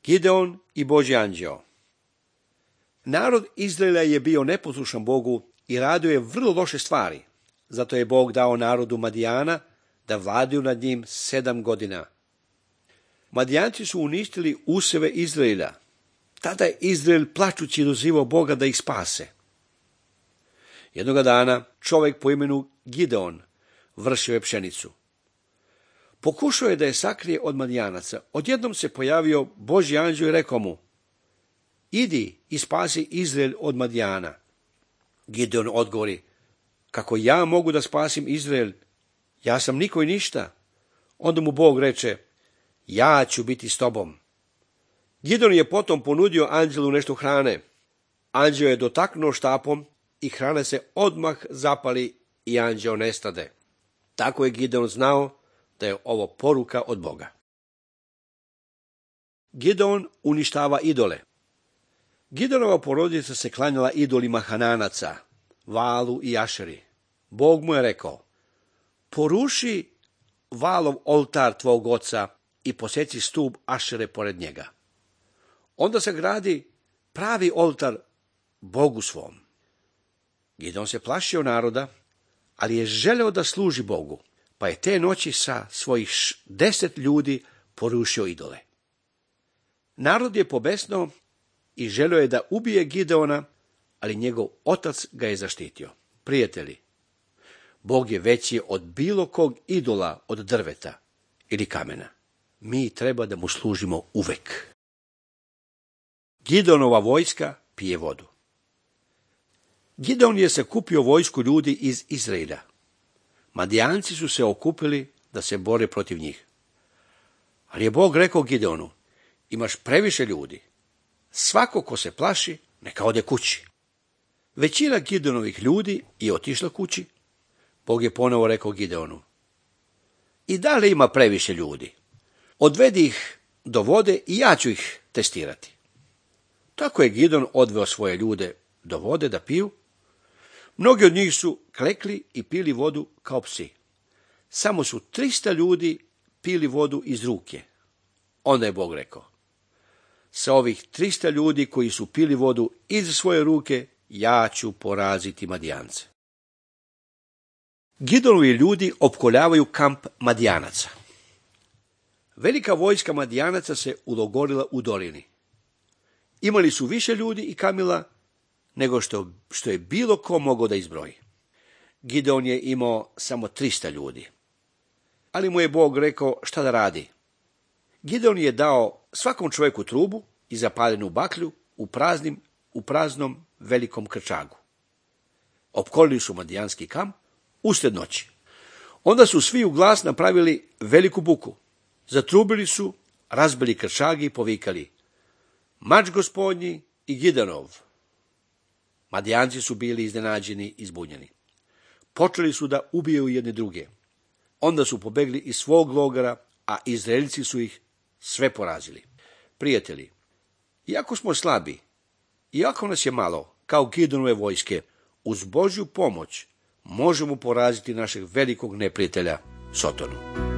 Gideon i Božji anđeo. Narod Izraela je bio neposlušan Bogu i radio je vrlo loše stvari. Zato je Bog dao narodu Madijana da vladaju nad njim 7 godina. Madijanci su uništili usjeve Izraela. Tada je Izrael plačući dozivao Boga da ih spase. Jednoga dana čovjek po imenu Gideon vršio je pšenicu. Pokušao je da je sakrije od Madijanaca. Odjednom se pojavio Božji anđeo i rekao mu: idi i spasi Izrael od Madijana. Gideon odgovori: kako ja mogu da spasim Izrael? Ja sam niko i ništa. Onda mu Bog reče: ja ću biti s tobom. Gideon je potom ponudio anđelu nešto hrane. Anđeo je dotaknuo štapom i hrana se odmah zapali i anđeo nestade. Tako je Gideon znao da je ovo poruka od Boga. Gideon uništava idole. Gideonova porodica se klanjala idolima Hananaca, Valu i Ašeri. Bog mu je rekao: poruši Valov oltar tvog oca i poseci stup Ašere pored njega. Onda se gradi pravi oltar Bogu svom. Gideon se plašio naroda, ali je želeo da služi Bogu, pa je te noći sa svojih 10 ljudi porušio idole. Narod je pobesnao i želeo je da ubije Gideona, ali njegov otac ga je zaštitio. Prijatelji, Bog je veći od bilo kog idola od drveta ili kamena. Mi treba da mu služimo uvek. Gideonova vojska pije vodu. Gideon je sakupio vojsku ljudi iz Izraela. Madijanci su se okupili da se bore protiv njih. Ali je Bog rekao Gideonu: imaš previše ljudi. Svako ko se plaši, neka ode kući. Većina Gideonovih ljudi je otišla kući. Bog je ponovo rekao Gideonu: i da li ima previše ljudi? Odvedi ih do vode i ja ću ih testirati. Tako je Gideon odveo svoje ljude do vode da piju. Mnogi od njih su klekli i pili vodu kao psi. Samo su 300 ljudi pili vodu iz ruke. Onda je Bog rekao: sa ovih 300 ljudi koji su pili vodu iz svoje ruke, ja ću poraziti Madijance. Gideonovi ljudi opkoljavaju kamp Madijanaca. Velika vojska Madijanaca se ulogorila u dolini. Imali su više ljudi i kamila nego što je bilo ko mogao da izbroji. Gideon je imao samo 300 ljudi. Ali mu je Bog rekao šta da radi. Gideon je dao svakom čovjeku trubu i zapaljenu baklju u praznom velikom krčagu. Opkolili su Madijanski kamp usred noći. Onda su svi u glas napravili veliku buku. Zatrubili su, razbili krčagi i povikali: mač gospodnji i Gideonov. Madijanci su bili iznenađeni i zbunjeni. Počeli su da ubijaju jedni druge. Onda su pobegli iz svog logora, a Izraelci su ih sve porazili. Prijatelji, iako smo slabi, iako nas je malo, kao Gideonove vojske, uz Božju pomoć možemo poraziti našeg velikog neprijatelja Sotonu.